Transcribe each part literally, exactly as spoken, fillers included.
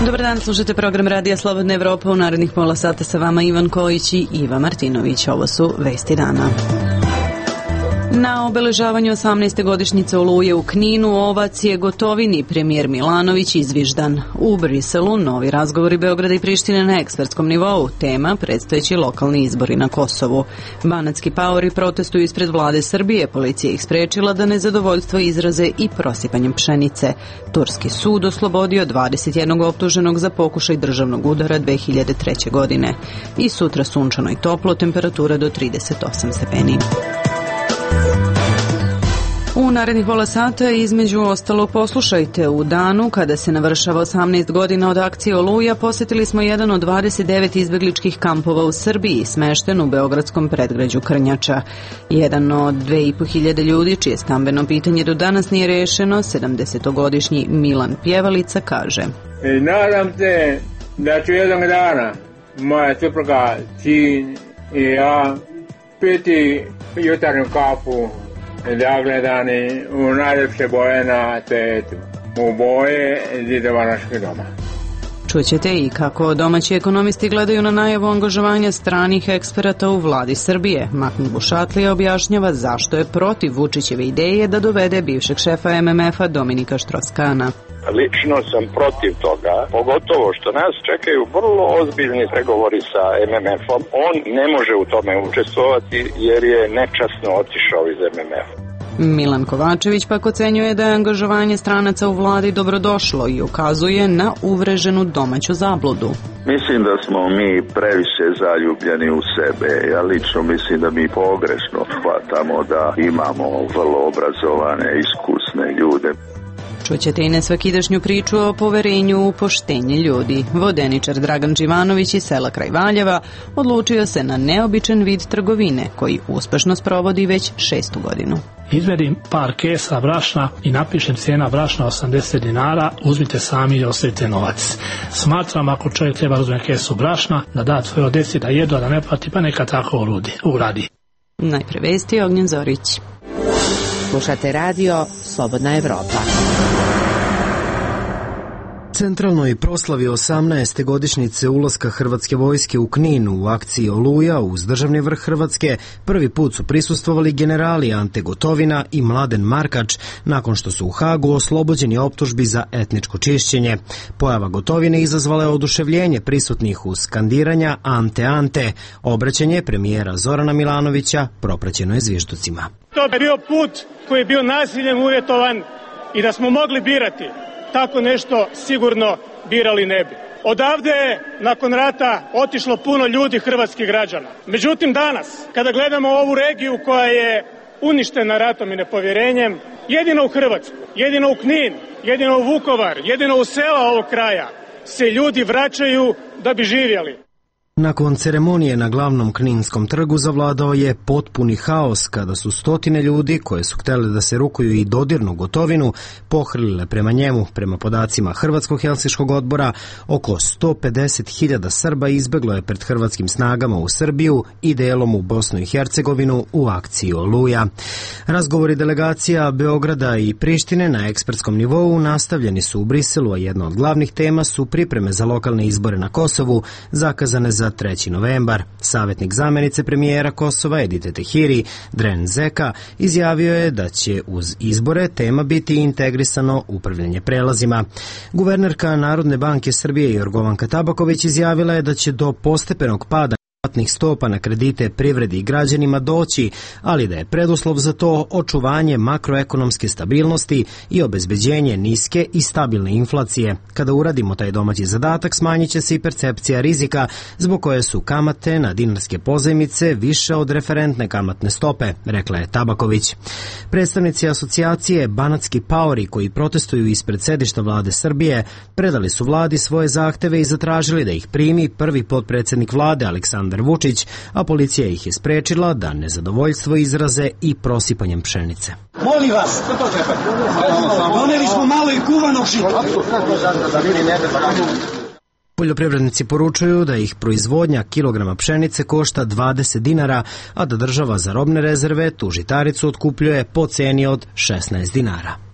Dobar dan, slušate program Radija Slobodna Evropa. U narednih pola sata sa vama Ivan Kojić i Iva Martinović. Ovo su vesti dana. Na obeležavanju osamnaeste godišnjice Oluje u Kninu ovac je Gotovini premijer Milanović izviždan. U Briselu novi razgovori Beograda i Prištine na ekspertskom nivou. Tema predstojeći lokalni izbori na Kosovu. Banatski paori protestuju ispred vlade Srbije. Policija ih sprečila da nezadovoljstvo izraze i prosipanjem pšenice. Turski sud oslobodio dvadeset jednog optuženog za pokušaj državnog udara dve hiljade treće. godine. I sutra sunčano i toplo, temperatura do trideset osam stepeni. U narednih pola sata između ostalo poslušajte. U danu kada se navršava osamnaest godina od akcije Oluja posjetili smo jedan od dvadeset devet izbegličkih kampova u Srbiji, smešten u beogradskom predgrađu Krnjača. Jedan od dve i po hiljade ljudi čije stambeno pitanje do danas nije rešeno, sedamdesetogodišnji Milan Pjevalica kaže: I nadam se da ću jednog dana moja supruga, sin i ja piti jutarnju kafu zagledani u najljepše boje na svetu, u boje zidova našeg doma. Čućete i kako domaći ekonomisti gledaju na najavu angažovanja stranih eksperata u vladi Srbije. Mahmud Bušatlija objašnjava zašto je protiv Vučićeve ideje da dovede bivšeg šefa em em efa Dominika Štroskana. Lično sam protiv toga, pogotovo što nas čekaju vrlo ozbiljni pregovori sa em em efom. On ne može u tome učestvovati jer je nečasno otišao iz em em efa. Milan Kovačević pak ocenjuje da je angažovanje stranaca u vladi dobrodošlo i ukazuje na uvreženu domaću zabludu. Mislim da smo mi previše zaljubljeni u sebe. Ja lično mislim da mi pogrešno shvatamo da imamo vrlo obrazovane, iskusne ljude. Čućete i nesvakidašnju priču o poverenju u poštenje ljudi. Vodeničar Dragan Đivanović iz sela kraj Valjeva odlučio se na neobičan vid trgovine koji uspešno sprovodi već šestu godinu. Izvedim par kesa brašna i napišem cijena brašna osamdeset dinara, uzmite sami i ostavite novac. Smatram ako čovjek treba uzme kesu brašna, da da svoje deci da jedu, a da ne plati, pa neka tako uradi. Najpre vesti, Ognjen Zorić. Slušate radio Slobodna Evropa. Centralnoj proslavi osamnaeste godišnjice ulaska Hrvatske vojske u Knin u akciji Oluja uz državni vrh Hrvatske prvi put su prisustvovali generali Ante Gotovina i Mladen Markač nakon što su u Hagu oslobođeni optužbi za etničko čišćenje. Pojava Gotovine izazvala je oduševljenje prisutnih uz skandiranja Ante Ante. Obraćanje premijera Zorana Milanovića propraćeno je zvižducima. To je bio put koji je bio nasiljem uvjetovan i da smo mogli birati, tako nešto sigurno birali ne bi. Odavde je nakon rata otišlo puno ljudi, hrvatskih građana. Međutim danas, kada gledamo ovu regiju koja je uništena ratom i nepovjerenjem, jedino u Hrvatsku, jedino u Knin, jedino u Vukovar, jedino u sela ovog kraja se ljudi vraćaju da bi živjeli. Nakon ceremonije na glavnom Kninskom trgu zavladao je potpuni haos kada su stotine ljudi koje su htjeli da se rukuju i dodirnu Gotovinu pohrlile prema njemu. Prema podacima Hrvatskog helsinškog odbora, oko sto pedeset hiljada Srba izbeglo je pred hrvatskim snagama u Srbiju i delom u Bosnu i Hercegovinu u akciji Oluja. Razgovori delegacija Beograda i Prištine na ekspertskom nivou nastavljeni su u Briselu, a jedna od glavnih tema su pripreme za lokalne izbore na Kosovu, zakazane za treći novembar. Savjetnik zamjenice premijera Kosova Edite Tehiri, Dren Zeka, izjavio je da će uz izbore tema biti integrisano upravljanje prelazima. Guvernerka Narodne banke Srbije Jorgovanka Tabaković izjavila je da će do postepenog pada kamatnih stopa na kredite privredi i građanima doći, ali da je preduslov za to očuvanje makroekonomske stabilnosti i obezbeđenje niske i stabilne inflacije. Kada uradimo taj domaći zadatak, smanjit će se i percepcija rizika, zbog koje su kamate na dinarske pozajmice više od referentne kamatne stope, rekla je Tabaković. Predstavnici asocijacije Banatski paori koji protestuju ispred sedišta vlade Srbije predali su vladi svoje zahteve i zatražili da ih primi prvi potpredsjednik vlade Aleksandar Vučić, a policija ih je sprečila da nezadovoljstvo izraze i prosipanjem pšenice. Molim vas, doneli smo malo i kuvanog žita. Poljoprivrednici poručuju da ih proizvodnja kilograma pšenice košta dvadeset dinara, a da država za robne rezerve tu žitaricu otkupljuje po ceni od šesnaest dinara.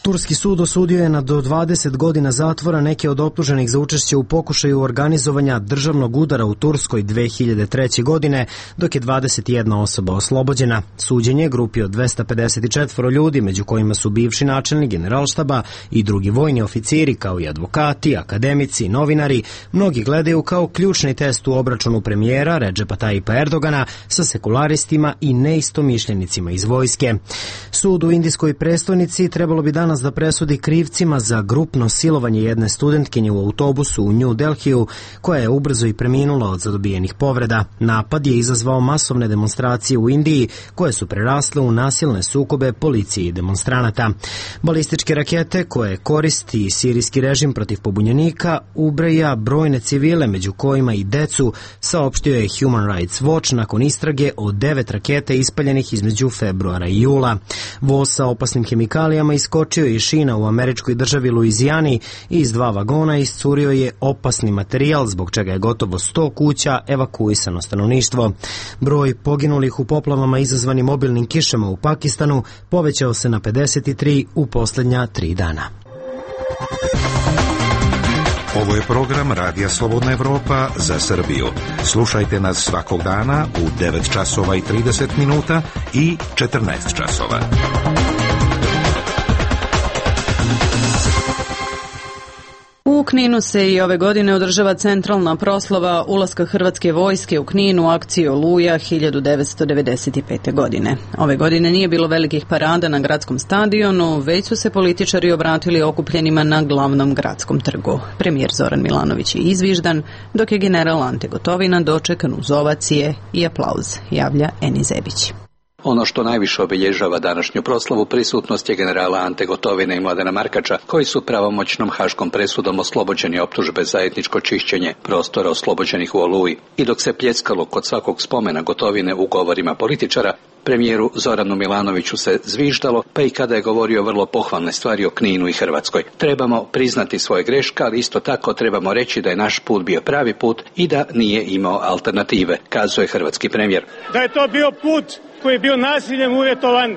Turski sud osudio je na do dvadeset godina zatvora neke od optuženih za učešće u pokušaju organizovanja državnog udara u Turskoj dve hiljade treće. godine, dok je dvadeset jedna osoba oslobođena. Suđenje grupi od dvesta pedeset četiri ljudi, među kojima su bivši načelnik generalštaba i drugi vojni oficiri, kao i advokati, akademici, novinari, mnogi gledaju kao ključni test u obračunu premijera Redžepa Tajipa Erdogana sa sekularistima i neistomišljenicima iz vojske. Sud u indijskoj prestonici trebalo bi danas da presudi krivcima za grupno silovanje jedne studentkinje u autobusu u New Delhiju, koja je ubrzo i preminula od zadobijenih povreda. Napad je izazvao masovne demonstracije u Indiji, koje su prerasle u nasilne sukobe policije i demonstranata. Balističke rakete koje koristi sirijski režim protiv pobunjenika ubraja brojne civile, među kojima i decu, saopštio je Human Rights Watch nakon istrage o devet raketa ispaljenih između februara i jula. Voz sa opasnim hemikalijama iskočio iz šina u američkoj državi Luizijani i iz dva vagona iscurio je opasni materijal, zbog čega je gotovo sto kuća evakuisano stanovništvo. Broj poginulih u poplavama izazvanim obilnim kišama u Pakistanu povećao se na pedeset tri u posljednja tri dana. Ovo je program Radija Slobodna Evropa za Srbiju. Slušajte nas svakog dana u devet časova i trideset minuta i četrnaest časova. U Kninu se i ove godine održava centralna proslava ulaska Hrvatske vojske u Knin u akciju Oluja hiljadu devetsto devedeset pete. godine. Ove godine nije bilo velikih parada na gradskom stadionu, već su se političari obratili okupljenima na glavnom gradskom trgu. Premijer Zoran Milanović je izviždan, dok je general Ante Gotovina dočekan uz ovacije i aplauz, javlja Eni Zebić. Ono što najviše obilježava današnju proslavu prisutnost je generala Ante Gotovine i Mladena Markača, koji su pravomoćnom haškom presudom oslobođeni optužbe za etničko čišćenje prostora oslobođenih u Oluji. I dok se pljeskalo kod svakog spomena Gotovine u govorima političara, premijeru Zoranu Milanoviću se zviždalo, pa i kada je govorio vrlo pohvalne stvari o Kninu i Hrvatskoj. Trebamo priznati svoje greške, ali isto tako trebamo reći da je naš put bio pravi put i da nije imao alternative, kazuje hrvatski premijer. Da je to bio put koji je bio nasiljem uvjetovan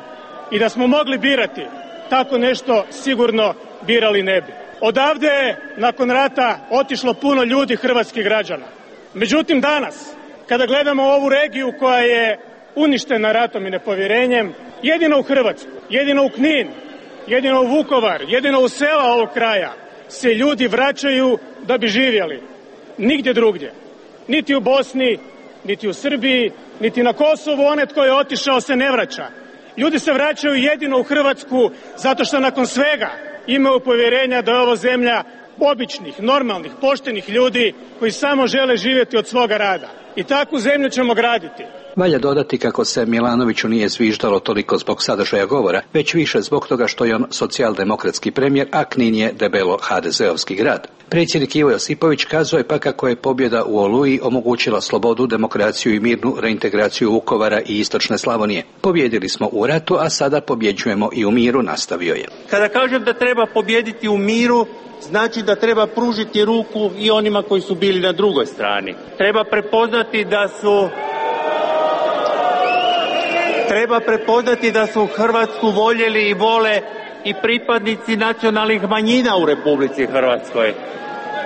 i da smo mogli birati, tako nešto sigurno birali ne bi. Odavde je nakon rata otišlo puno ljudi, hrvatskih građana. Međutim, danas, kada gledamo ovu regiju koja je uništena ratom i nepovjerenjem, jedino u Hrvatsku, jedino u Knin, jedino u Vukovar, jedino u sela ovog kraja se ljudi vraćaju da bi živjeli. Nigdje drugdje. Niti u Bosni, niti u Srbiji, niti na Kosovu onaj tko je otišao se ne vraća. Ljudi se vraćaju jedino u Hrvatsku zato što nakon svega imaju povjerenja da je ovo zemlja običnih, normalnih, poštenih ljudi koji samo žele živjeti od svoga rada. I takvu zemlju ćemo graditi. Valja dodati kako se Milanoviću nije zviždalo toliko zbog sadržaja govora, već više zbog toga što je on socijaldemokratski premijer, a Knin je debelo ha de zeovski grad. Predsjednik Ivo Josipović kazuje pa kako je pobjeda u Oluji omogućila slobodu, demokraciju i mirnu reintegraciju Vukovara i istočne Slavonije. Pobjedili smo u ratu, a sada pobjeđujemo i u miru, nastavio je. Kada kažem da treba pobjediti u miru, znači da treba pružiti ruku i onima koji su bili na drugoj strani. Treba prepoznati da su Treba prepoznati da su Hrvatsku voljeli i vole i pripadnici nacionalnih manjina u Republici Hrvatskoj.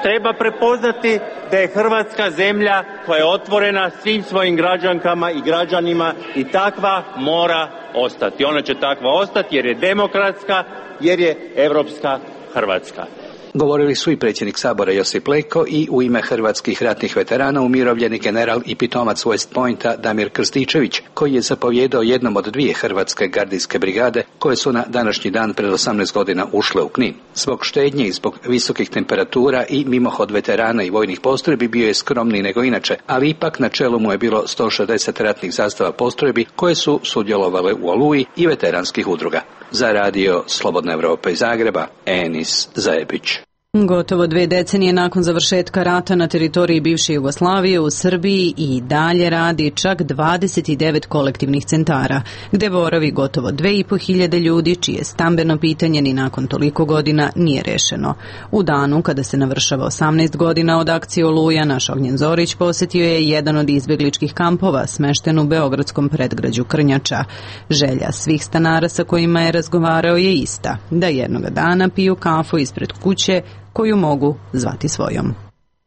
Treba prepoznati da je Hrvatska zemlja koja je otvorena svim svojim građankama i građanima i takva mora ostati. Ona će takva ostati jer je demokratska, jer je europska Hrvatska. Govorili su i predsjednik Sabora Josip Leko i u ime hrvatskih ratnih veterana umirovljeni general i pitomac West Pointa Damir Krstičević, koji je zapovjedao jednom od dvije hrvatske gardijske brigade koje su na današnji dan pred osamnaest godina ušle u Knin. Zbog štednje i zbog visokih temperatura i mimohod veterana i vojnih postrojbi bio je skromniji nego inače, ali ipak na čelu mu je bilo sto šezdeset ratnih zastava postrojbi koje su sudjelovale u Oluji i veteranskih udruga. Za radio Slobodna Evropa iz Zagreba, Enis Zajebić. Gotovo dve decenije nakon završetka rata na teritoriji bivše Jugoslavije u Srbiji i dalje radi čak dvadeset devet kolektivnih centara, gde boravi gotovo dve i po hiljade ljudi čije stambeno pitanje ni nakon toliko godina nije rešeno. U danu kada se navršava osamnaest godina od akcije Oluja, naš Ognjen Zorić posetio je jedan od izbegličkih kampova smešten u beogradskom predgrađu Krnjača. Želja svih stanara sa kojima je razgovarao je ista, da jednoga dana piju kafu ispred kuće koju mogu zvati svojom.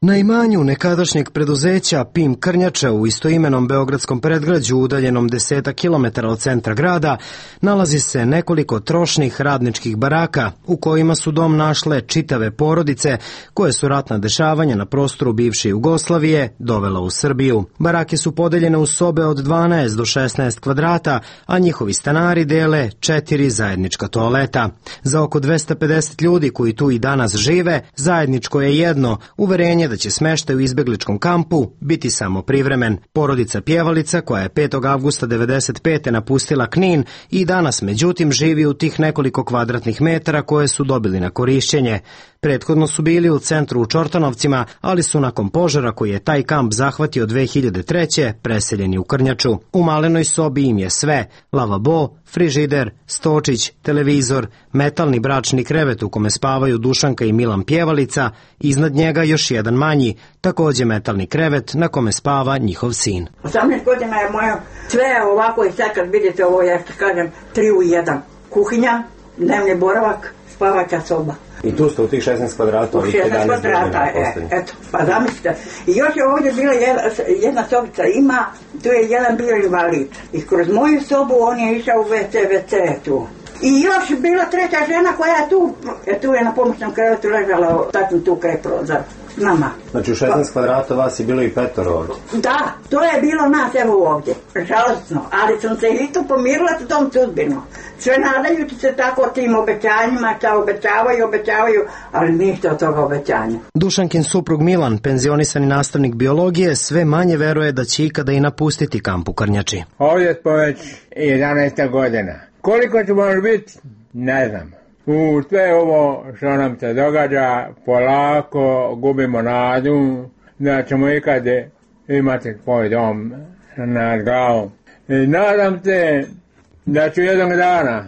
Na imanju nekadašnjeg preduzeća P I M Krnjača u istoimenom beogradskom predgrađu udaljenom desetak kilometara od centra grada nalazi se nekoliko trošnih radničkih baraka u kojima su dom našle čitave porodice koje su ratna dešavanja na prostoru bivše Jugoslavije dovela u Srbiju. Barake su podeljene u sobe od dvanaest do šesnaest kvadrata, a njihovi stanari dele četiri zajednička toaleta. Za oko dvesta pedeset ljudi koji tu i danas žive, zajedničko je jedno, uverenje da će smeštaj u izbegličkom kampu biti samo privremen. Porodica Pjevalica, koja je petog avgusta devedeset pete napustila Knin i danas međutim živi u tih nekoliko kvadratnih metara koje su dobili na korišćenje. Prethodno su bili u centru u Čortanovcima, ali su nakon požara koji je taj kamp zahvatio dve hiljade treće preseljeni u Krnjaču. U malenoj sobi im je sve: lavabo, frižider, stočić, televizor, metalni bračni krevet u kome spavaju Dušanka i Milan Pjevalica, iznad njega još jedan manji, takođe metalni krevet na kome spava njihov sin. osamnaest godina je moja, sve je ovako i sad kad vidite ovo, ja što kažem, tri u jedan. Kuhinja, dnevni boravak, spavaća soba. I tu ste u tih šesnaest kvadrata? U šesnaest kvadrata, e, eto, pa zamislite. I još je ovdje bila jedna, jedna sobica, ima, tu je jedan bio invalid. I kroz moju sobu on je išao u ve ce, ve ce tu. I još bila treća žena koja je tu, e, tu je na pomoćnom krevetu ležala, tačno tu kraj prozor. Nama. Znači u šesnaest kvadrata vas je bilo i petoro ovdje? Da, to je bilo nas evo ovdje, žalostno, ali sam se i tu pomirila s tom sudbinom. Sve nadajući se tako tim obećanjima, šta obećavaju, obećavaju, ali ništa od toga obećanja. Dušankin suprug Milan, penzionisani nastavnik biologije, sve manje veruje da će ikada i napustiti kamp u Krnjači. Ovdje smo već jedanaest godina. Koliko ćemo biti, ne znam. U sve ovo što nam se događa, polako gubimo nadu da ćemo ikad imati svoj dom nad glavom. I nadam se da ću jednog dana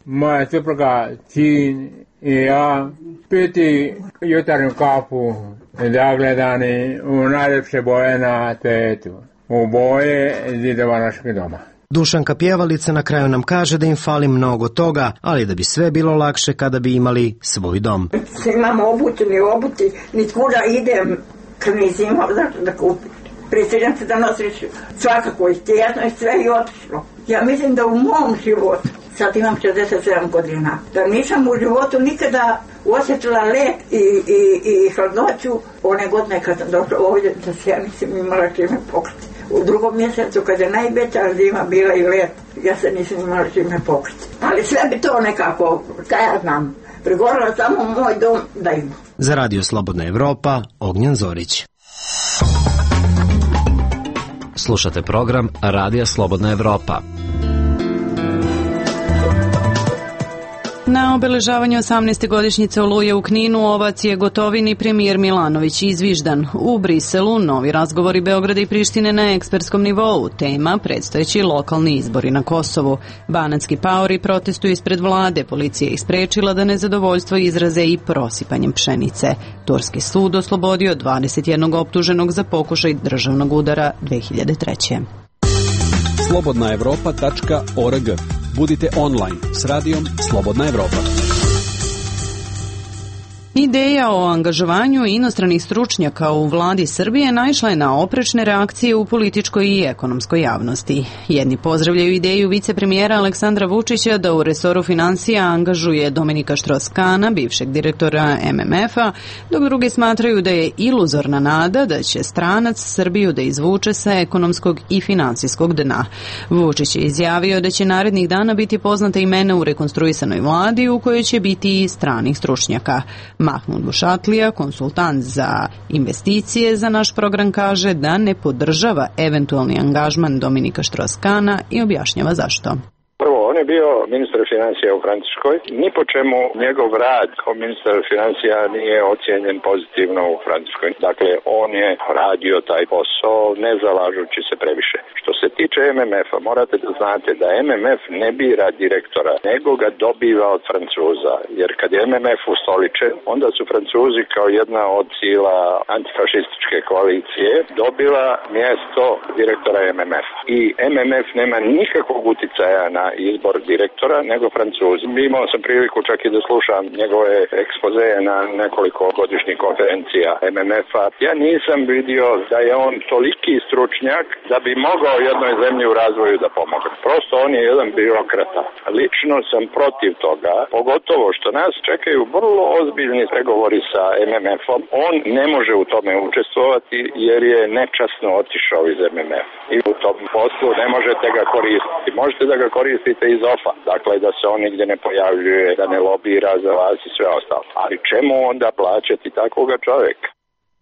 moja supruga, sin i ja piti jutarnju kafu zagledani u najljepše boje na svijetu, u boje zidova našeg doma. Dušanka Pjevalica na kraju nam kaže da im fali mnogo toga, ali da bi sve bilo lakše kada bi imali svoj dom. Imamo obuti, ni obuti, ni kuda idem, kad nisi imao zašto da kupim. Prisiljam se da nosiš svakako i tjesno i sve i otišlo. Ja mislim da u mom životu, sad imam šezdeset sedam godina, da nisam u životu nikada osjetila let i, i, i hladnoću one godine kad sam došla ovdje, da se ja nisam imala čime pokriti. U drugom mjesecu, kad je najveća zima bila i let, ja se nisam imala čime pokriti. Ali sve bi to nekako, šta ja znam, prigorila samo moj dom da ima. Za Radio Slobodna Evropa, Ognjen Zorić. Slušate program Radija Slobodna Evropa. Na obeležavanju osamnaeste godišnjice Oluje u Kninu ovac je Gotovini premijer Milanović izviždan. U Briselu novi razgovori Beograda i Prištine na ekspertskom nivou. Tema predstojeći lokalni izbori na Kosovu. Banatski paori protestuju ispred vlade. Policija ih sprečila da nezadovoljstvo izraze i prosipanjem pšenice. Turski sud oslobodio dvadeset jednog optuženog za pokušaj državnog udara dve hiljade treće. slobodna evropa tačka org. Budite online s radijom Slobodna Evropa. Ideja o angažovanju inostranih stručnjaka u vladi Srbije naišla je na oprečne reakcije u političkoj i ekonomskoj javnosti. Jedni pozdravljaju ideju vicepremijera Aleksandra Vučića da u resoru finansija angažuje Dominika Štros-Kana, bivšeg direktora em em ef-a, dok drugi smatraju da je iluzorna nada da će stranac Srbiju da izvuče sa ekonomskog i finansijskog dna. Vučić je izjavio da će narednih dana biti poznata imena u rekonstruisanoj vladi u kojoj će biti i stranih stručnjaka. Mahmud Bušatlija, konsultant za investicije za naš program, kaže da ne podržava eventualni angažman Dominika Štros-Kana i objašnjava zašto. Prvo, oni vrijeme bio ministar financija u Francuskoj. Ni po čemu njegov rad kao ministar financija nije ocijenjen pozitivno u Francuskoj. Dakle, on je radio taj posao ne zalažući se previše. Što se tiče M M F-a, morate da znate da M M F ne bira direktora, nego ga dobiva od Francuza. Jer kad je M M F ustoličen, onda su Francuzi kao jedna od sila antifašističke koalicije dobila mjesto direktora M M F-a. I M M F nema nikakvog uticaja na izbor direktora, nego Francuzi. Imao sam priliku čak i da slušam njegove ekspozeje na nekoliko godišnjih konferencija M M F-a. Ja nisam vidio da je on toliki stručnjak da bi mogao jednoj zemlji u razvoju da pomogne. Prosto on je jedan birokrata. Lično sam protiv toga, pogotovo što nas čekaju vrlo ozbiljni pregovori sa M M F-om. On ne može u tome učestvovati jer je nečasno otišao iz M M F-a. I u tom poslu ne možete ga koristiti. Možete da ga koristite iz O F A. Dakle, da se on nigdje ne pojavljuje, da ne lobira za vas i sve ostalo. Ali čemu onda plaćati takvoga čovjeka?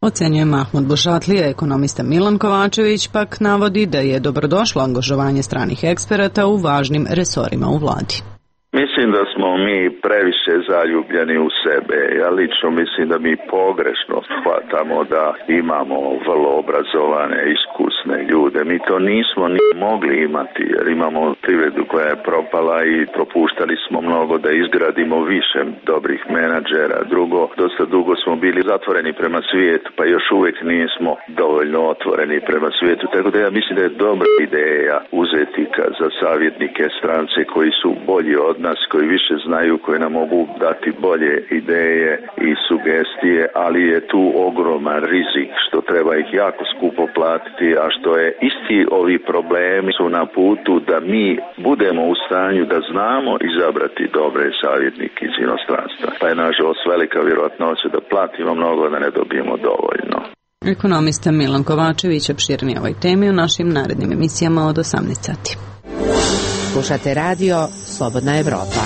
Ocenjuje Mahmud Bušatlija. Ekonomista Milan Kovačević pak navodi da je dobrodošlo angažovanje stranih eksperata u važnim resorima u vladi. Mislim da smo mi previše zaljubljeni u sebe. Ja lično mislim da mi pogrešno shvatamo da imamo vrlo obrazovane, iskusne ljude. Mi to nismo ni mogli imati jer imamo privredu koja je propala i propuštali smo mnogo da izgradimo više dobrih menadžera. Drugo, dosta dugo smo bili zatvoreni prema svijetu, pa još uvijek nismo dovoljno otvoreni prema svijetu. Tako da ja mislim da je dobra ideja uzeti za savjetnike strance koji su bolji od nas, koji više znaju, koji nam mogu dati bolje ideje i sugestije, ali je tu ogroman rizik što treba ih jako skupo platiti, a što je isti ovi problemi su na putu da mi budemo u stanju da znamo izabrati dobre savjetnike iz inostranstva. Pa je nažalost velika vjerojatnoća da platimo mnogo, da ne dobijemo dovoljno. Ekonomista Milan Kovačević opširnije ovoj temi u našim narednim emisijama od osamnaest sati. Slušate radio Slobodna Evropa.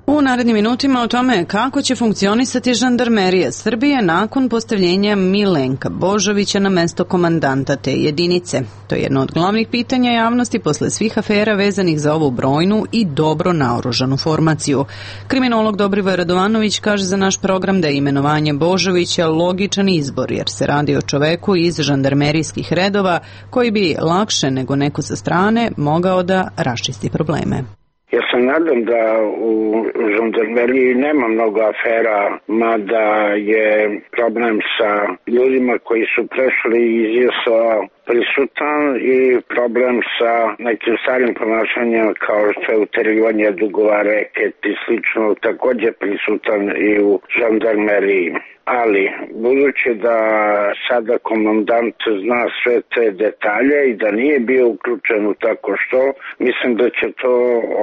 U narednim minutima o tome kako će funkcionisati žandarmerija Srbije nakon postavljenja Milenka Božovića na mesto komandanta te jedinice. To je jedno od glavnih pitanja javnosti posle svih afera vezanih za ovu brojnu i dobro naoružanu formaciju. Kriminolog Dobrivoje Radovanović kaže za naš program da je imenovanje Božovića logičan izbor jer se radi o čoveku iz žandarmerijskih redova koji bi lakše nego neko sa strane mogao da raščisti probleme. Ja se nadam da u žandarmeriji nema mnogo afera, mada je problem sa ljudima koji su prešli iz J S O prisutan i problem sa nekim starim ponašanjem kao što je uterivanje dugova, reket i slično također prisutan i u žandarmeriji. Ali, budući da sada komandant zna sve te detalje i da nije bio uključen u tako što, mislim da će to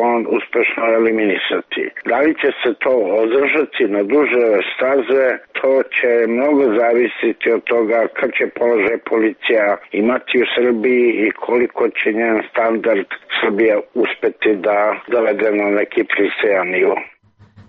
on uspešno eliminisati. Da li će se to održati na duže staze, to će mnogo zavisiti od toga kad će položaj policija imati u Srbiji i koliko će njen standard Srbija uspeti da dovede na neki pristojan nivo.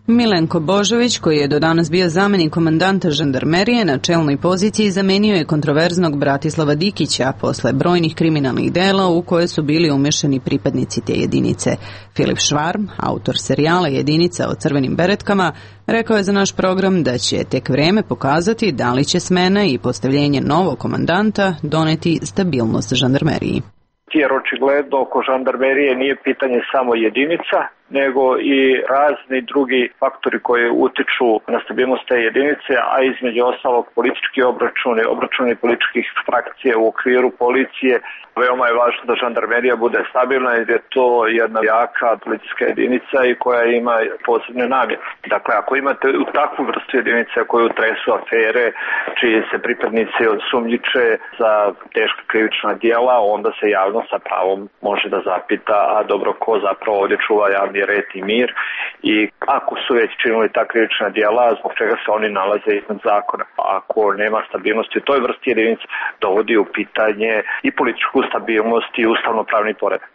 Milenko Božović, koji je do danas bio zamenik komandanta žandarmerije, na čelnoj poziciji zamenio je kontroverznog Bratislava Dikića posle brojnih kriminalnih dela u koje su bili umešani pripadnici te jedinice. Filip Švarm, autor serijala Jedinica o crvenim beretkama, rekao je za naš program da će tek vreme pokazati da li će smena i postavljenje novog komandanta doneti stabilnost žandarmeriji. Jer očigledno oko žandarmerije nije pitanje samo jedinica, nego i razni drugi faktori koji utiču na stabilnost te jedinice, a između ostalog politički obračuni, obračuni političkih frakcija u okviru policije. Veoma je važno da žandarmerija bude stabilna jer je to jedna jaka policijska jedinica i koja ima posebne namjere. Dakle, ako imate u takvu vrstu jedinice koju tresu afere, čiji se pripadnici osumnjiče za teška krivična djela, onda se javno sa pravom može da zapita, a dobro, ko zapravo ovdje čuva javni red i mir i ako su već činili ta krivična djela, zbog čega se oni nalaze iznad zakona. Ako nema stabilnosti u toj vrsti jedinice, dovodi u pitanje i političku stabilnost i ustavno-pravni poredak.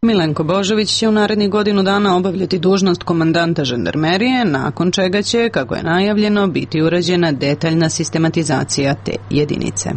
Milenko Božović će u narednih godinu dana obavljati dužnost komandanta žandarmerije, nakon čega će, kako je najavljeno, biti urađena detaljna sistematizacija te jedinice.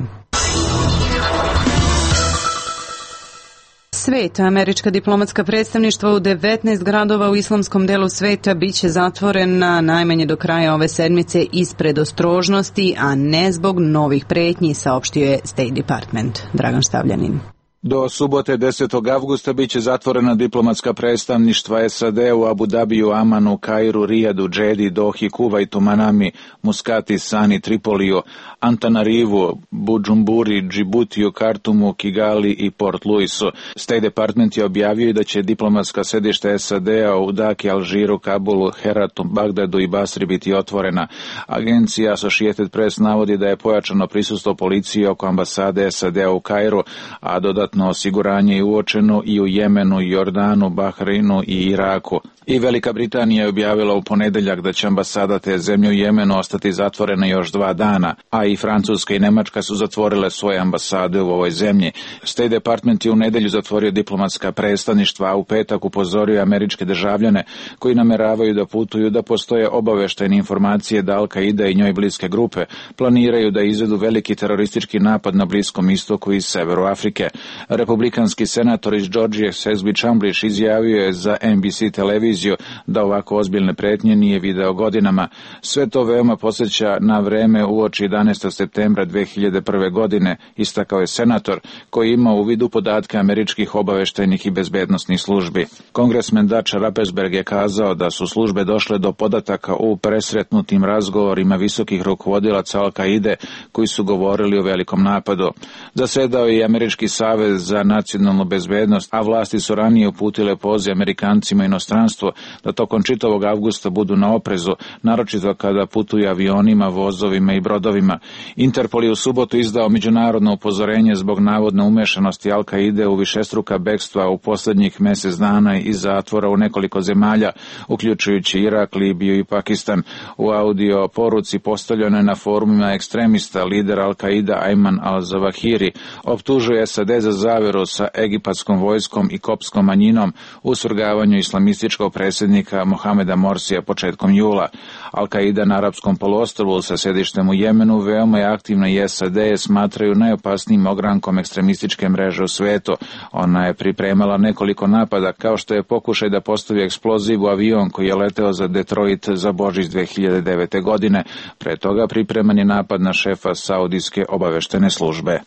Svet, američka diplomatska predstavništva u devetnaest gradova u islamskom delu sveta biće zatvorena najmanje do kraja ove sedmice iz predostrožnosti, a ne zbog novih pretnji, saopštio je State Department. Dragan Štavljanin. Do subote desetog avgusta biće zatvorena diplomatska predstavništva S A D u Abu Dabiju, Amanu, Kairu, Rijadu, Džedi, Dohi, Kuvajtu, Manami, Muskati, Sani, Tripoliju, Antanarivu, Budžumburi, Džibutiju, Kartumu, Kigali i Port Luisu. State Department je objavio da će diplomatska sedišta S A D-a u Daki, Alžiru, Kabulu, Heratu, Bagdadu i Basri biti otvorena. Agencija Associated Press navodi da je pojačano prisustvo policije oko ambasade S A D-a u Kairu, a dodatno osiguranje je uočeno i u Jemenu, Jordanu, Bahreinu i Iraku. I Velika Britanija je objavila u ponedeljak da će ambasada te zemlje u Jemenu ostati zatvorena još dva dana, a i Francuska i Nemačka su zatvorile svoje ambasade u ovoj zemlji. State Department je u nedelju zatvorio diplomatska predstavništva, a u petak upozorio američke državljane koji nameravaju da putuju da postoje obaveštajne informacije da Al-Qaida i njoj bliske grupe planiraju da izvedu veliki teroristički napad na Bliskom istoku i severu Afrike. Republikanski senator iz Georgije Sesbi Chamblish izjavio je za N B C televiziju da ovako ozbiljne pretnje nije video godinama. Sve to veoma podsjeća na vreme uoči jedanaestog septembra dve hiljade prve. godine, istakao je senator koji ima u vidu podatke američkih obaveštajnih i bezbednosnih službi. Kongresmen Dutch Rappesberg je kazao da su službe došle do podataka u presretnutim razgovorima visokih rukovodilaca Al-Qaide koji su govorili o velikom napadu. Zasedao je i Američki savez za nacionalnu bezbednost, a vlasti su ranije uputile poziv Amerikancima inostranstvo da tokom čitavog avgusta budu na oprezu, naročito kada putuju avionima, vozovima i brodovima. Interpol je u subotu izdao međunarodno upozorenje zbog navodne umešanosti Al-Qaide u višestruka bekstva u posljednjih mjesec dana iz zatvora u nekoliko zemalja, uključujući Irak, Libiju i Pakistan. U audio poruci postavljenoj na forumima ekstremista, lider Al-Qaida Ayman al-Zawahiri optužuje S A D za zaveru sa egipatskom vojskom i kopskom manjinom u svrgavanju islamističkog predsjednika Mohameda Morsija početkom jula. Al-Qaida na Arapskom poluostrvu sa sedištem u Jemenu veoma je aktivna i S A D je smatraju najopasnijim ogrankom ekstremističke mreže u svetu. Ona je pripremala nekoliko napada, kao što je pokušaj da postavi eksploziv u avion koji je leteo za Detroit za Božić dve hiljade devete. godine. Pre toga pripreman je napad na šefa Saudijske obaveštene službe.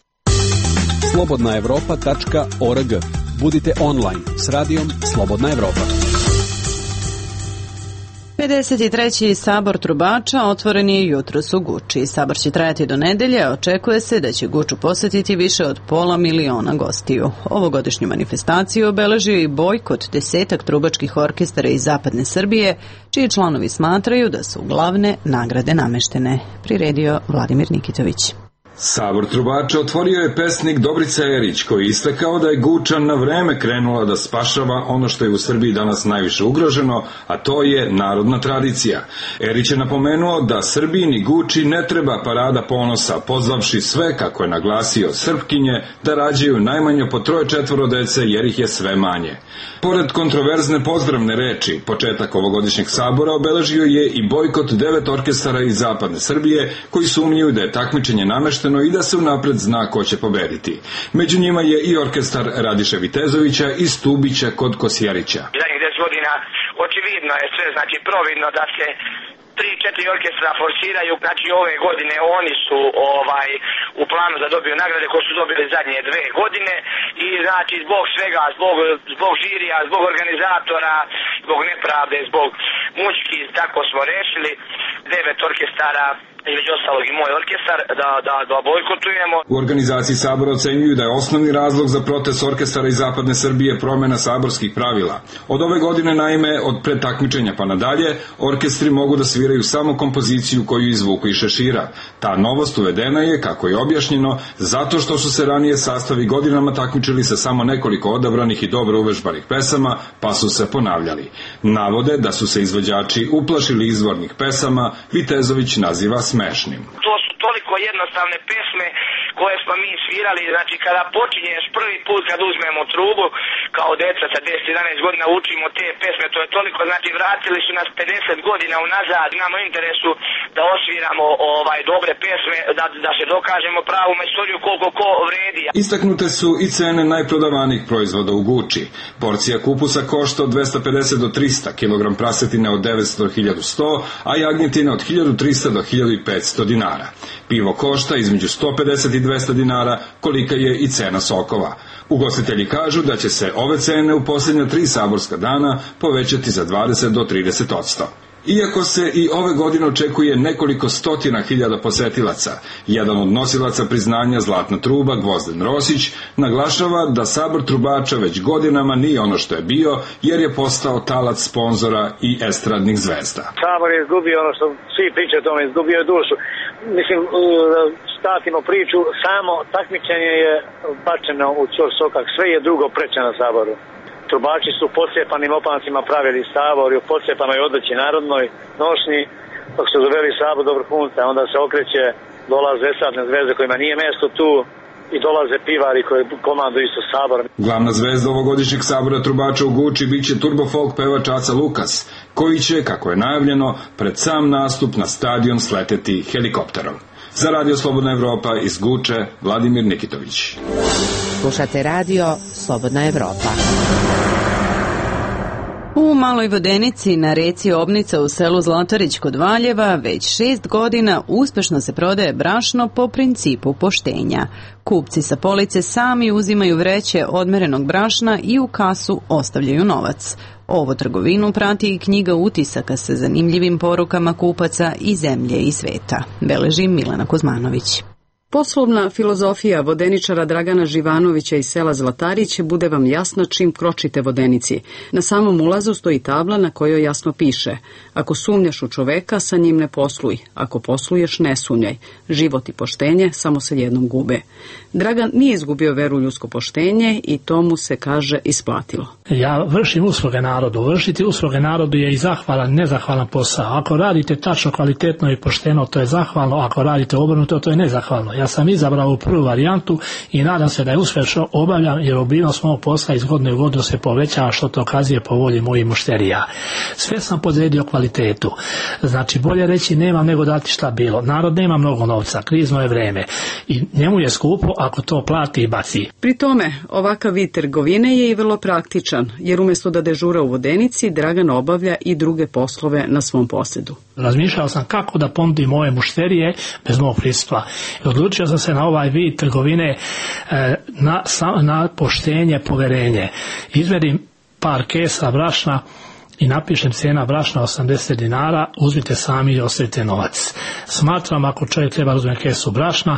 slobodna evropa tačka org. Budite online s radijom Slobodna Evropa. pedeset treći sabor trubača otvoren je jutros u Guči. Sabor će trajati do nedelje, a očekuje se da će Guču posetiti više od pola miliona gostiju. Ovogodišnju manifestaciju obeležio i bojkot desetak trubačkih orkestara iz zapadne Srbije, čiji članovi smatraju da su glavne nagrade nameštene. Priredio Vladimir Nikitović. Sabor trubača otvorio je pesnik Dobrica Erić, koji je istakao da je Guča na vreme krenula da spašava ono što je u Srbiji danas najviše ugroženo, a to je narodna tradicija. Erić je napomenuo da Srbini Guči ne treba parada ponosa, pozvavši sve, kako je naglasio, Srpkinje da rađaju najmanje po troje četvoro dece jer ih je sve manje. Pored kontroverzne pozdravne reči, početak ovogodišnjeg sabora obeležio je i bojkot devet orkestara iz zapadne Srbije koji sumnjaju da je takmičenje namešteno i da se unapred zna ko će pobediti. Među njima je i orkestar Radiše Vitezovića i Stubića kod Kosjerića. Zadnjih deset godina očividno je sve, znači providno da se tri, četiri orkestra forsiraju, znači ove godine oni su ovaj u planu da dobiju nagrade koje su dobili zadnje dve godine i znači zbog svega, zbog, zbog žirija, zbog organizatora, zbog nepravde, zbog mučki, tako smo rešili devet orkestara, između ostalog i moj orkestar, da, da, da bojkotujemo. U organizaciji sabora ocenjuju da je osnovni razlog za protest orkestara iz zapadne Srbije promjena saborskih pravila. Od ove godine, naime, od predtakmičenja pa nadalje, orkestri mogu da sviraju samo kompoziciju koju izvuku iz šešira. Ta novost uvedena je, kako je objašnjeno, zato što su se ranije sastavi godinama takmičili sa samo nekoliko odabranih i dobro uvežbanih pesama, pa su se ponavljali. Navode da su se izvođači uplašili izvornih pesama, Vitezović naziva smešnim. To su toliko jednostavne pesme koje smo mi svirali, znači kada počinješ prvi put kad uzmemo trubu, kao deca sa deset jedanaest godina učimo te pesme, to je toliko, znači vratili su nas pedeset godina unazad, imamo interesu da osviramo ovaj dobre pesme, da, da se dokažemo pravu istoriju koliko ko vredi. Istaknute su i cene najprodavanijih proizvoda u Guči. Porcija kupusa košta od dvesta pedeset do trista, kilogram prasetine od devetsto do hiljadu sto, a jagnjetine od hiljadu trista do hiljadu petsto dinara. Pivo košta između sto pedeset i dvesta dinara, kolika je i cena sokova. Ugostitelji kažu da će se ove cene u posljednja tri saborska dana povećati za dvadeset do trideset odsto. Iako se i ove godine očekuje nekoliko stotina hiljada posetilaca, jedan od nosilaca priznanja Zlatna truba, Gvozden Rosić, naglašava da sabor trubača već godinama nije ono što je bio, jer je postao talac sponzora i estradnih zvezda. Sabor je izgubio ono što svi pričaju o tome, izgubio je dušu. Mislim, statimo priču, samo takmičenje je bačeno u ćor sokak, sve je drugo preče na saboru. Trubači su u pocepanim opancima pravili sabor i u pocepanoj odjeći narodnoj nošnji, dok su doveli sabor do vrhunca, onda se okreće, dolaze estradne zvezde kojima nije mjesto tu i dolaze pivari koji komanduju isto sabor. Glavna zvezda ovogodišnjeg sabora trubača u Guči biće turbo folk pevač Aca Lukas, koji će, kako je najavljeno, pred sam nastup na stadion sleteti helikopterom. Za Radio Slobodna Evropa iz Guče, Vladimir Nikitović. Slušate radio Slobodna Evropa. U Maloj Vodenici na reci Obnica u selu Zlatarić kod Valjeva već šest godina uspešno se prodaje brašno po principu poštenja. Kupci sa police sami uzimaju vreće odmerenog brašna i u kasu ostavljaju novac. Ovu trgovinu prati i knjiga utisaka sa zanimljivim porukama kupaca iz zemlje i sveta. Beleži Milena Kuzmanović. Poslovna filozofija vodeničara Dragana Živanovića iz sela Zlatarić bude vam jasna čim kročite Vodenici. Na samom ulazu stoji tabla na kojoj jasno piše: ako sumnjaš u čoveka, sa njim ne posluj. Ako posluješ, ne sumnjaj. Život i poštenje samo se jednom gube. Dragan nije izgubio veru u ljudsko poštenje i to mu se, kaže, isplatilo. Ja vršim usluge narodu. Vršiti usluge narodu je i zahvalan, nezahvalan posao. Ako radite tačno, kvalitetno i pošteno, to je zahvalno. Ako radite obrnuto, to je nezahvalno. Ja sam izabrao ovu prvu varijantu i nadam se da je uspješno obavljam, jer obimnost mog posla iz godine u godinu se povećava, što to kazuje po volji mojih mušterija. Sve sam podredio kvalitetu. Znači, bolje reći nemam nego dati šta bilo. Narod nema mnogo novca, krizno je vreme i njemu je skupo ako to plati i baci. Pri tome, ovakav vid trgovine je i vrlo praktičan, jer umjesto da dežura u Vodenici, Dragan obavlja i druge poslove na svom posjedu. Razmišljao sam kako da ponudim moje mušterije bez mog prisustva. I odlučio sam se na ovaj vid trgovine na, na poštenje, poverenje. Izmerim par kesa brašna i napišem cena brašna osamdeset dinara, uzmite sami i ostavite novac. Smatram, ako čovjek treba uzmeti kesu brašna,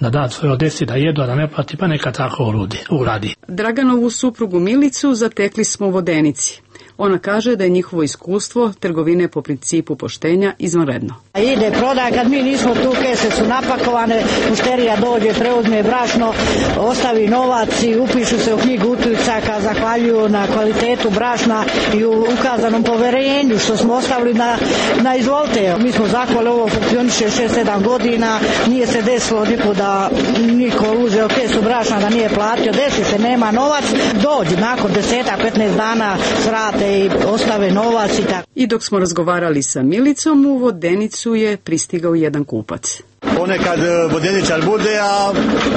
da da svojoj deci da jedu, a da ne plati, pa neka tako uradi. Draganovu suprugu Milicu zatekli smo u Vodenici. Ona kaže da je njihovo iskustvo trgovine po principu poštenja izvanredno. Ide prodaja, kad mi nismo tu, kese su napakovane, mušterija dođe, preuzme brašno, ostavi novac i upišu se u knjigu utisaka, zahvaljuju na kvalitetu brašna i u ukazanom poverenju što smo ostavili na, na izvolte. Mi smo zahvali, ovo funkcioniše šest sedam godina, nije se desilo niko da niko uzeo kesu brašna da nije platio, desi se, nema novac, dođi nakon deset petnaest dana srate i ostave novac i tako. I dok smo razgovarali sa Milicom, u Vodenicu je pristigao jedan kupac. Ponekad vodeničar bude, a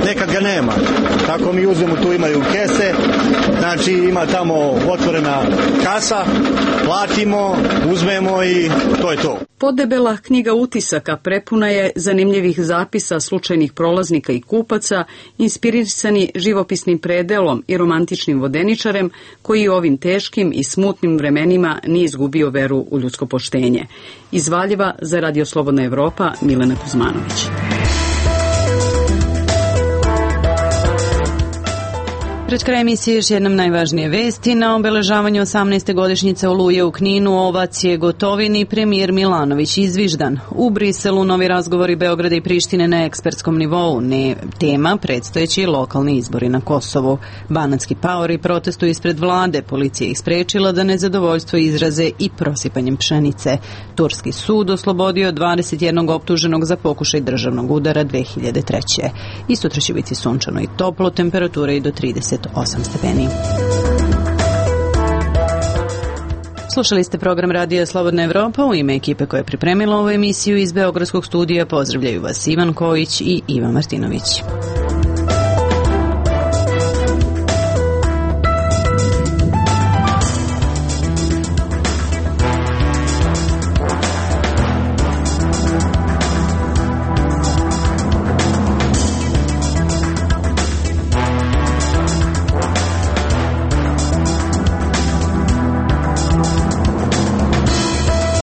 nekad ga nema. Tako mi uzmemo, tu imaju kese, znači ima tamo otvorena kasa, platimo, uzmemo i to je to. Podebela knjiga utisaka prepuna je zanimljivih zapisa slučajnih prolaznika i kupaca, inspirisani živopisnim predelom i romantičnim vodeničarem, koji u ovim teškim i smutnim vremenima nije izgubio veru u ljudsko poštenje. Iz Valjeva za Radio Slobodna Evropa, Milena Kuzmanović. Pred kraj emisije još jednom najvažnije vesti. Na obeležavanju osamnaeste godišnjice Oluje u Kninu ovacije Gotovini premijer Milanović izviždan. U Briselu novi razgovori Beograda i Prištine na ekspertskom nivou. Ne, tema predstojeći lokalni izbori na Kosovu. Banatski paori protestuju ispred vlade. Policija ih sprečila da nezadovoljstvo izraze i prosipanjem pšenice. Turski sud oslobodio dvadeset jednog optuženog za pokušaj državnog udara dve hiljade treće. I sutra će biti sunčano i toplo, temperature i do trideset osam stepeni. Slušali ste program Radija Slobodna Evropa. U ime ekipe koja je pripremila ovu emisiju iz Beogradskog studija pozdravljaju vas Ivan Kojić i Iva Martinović.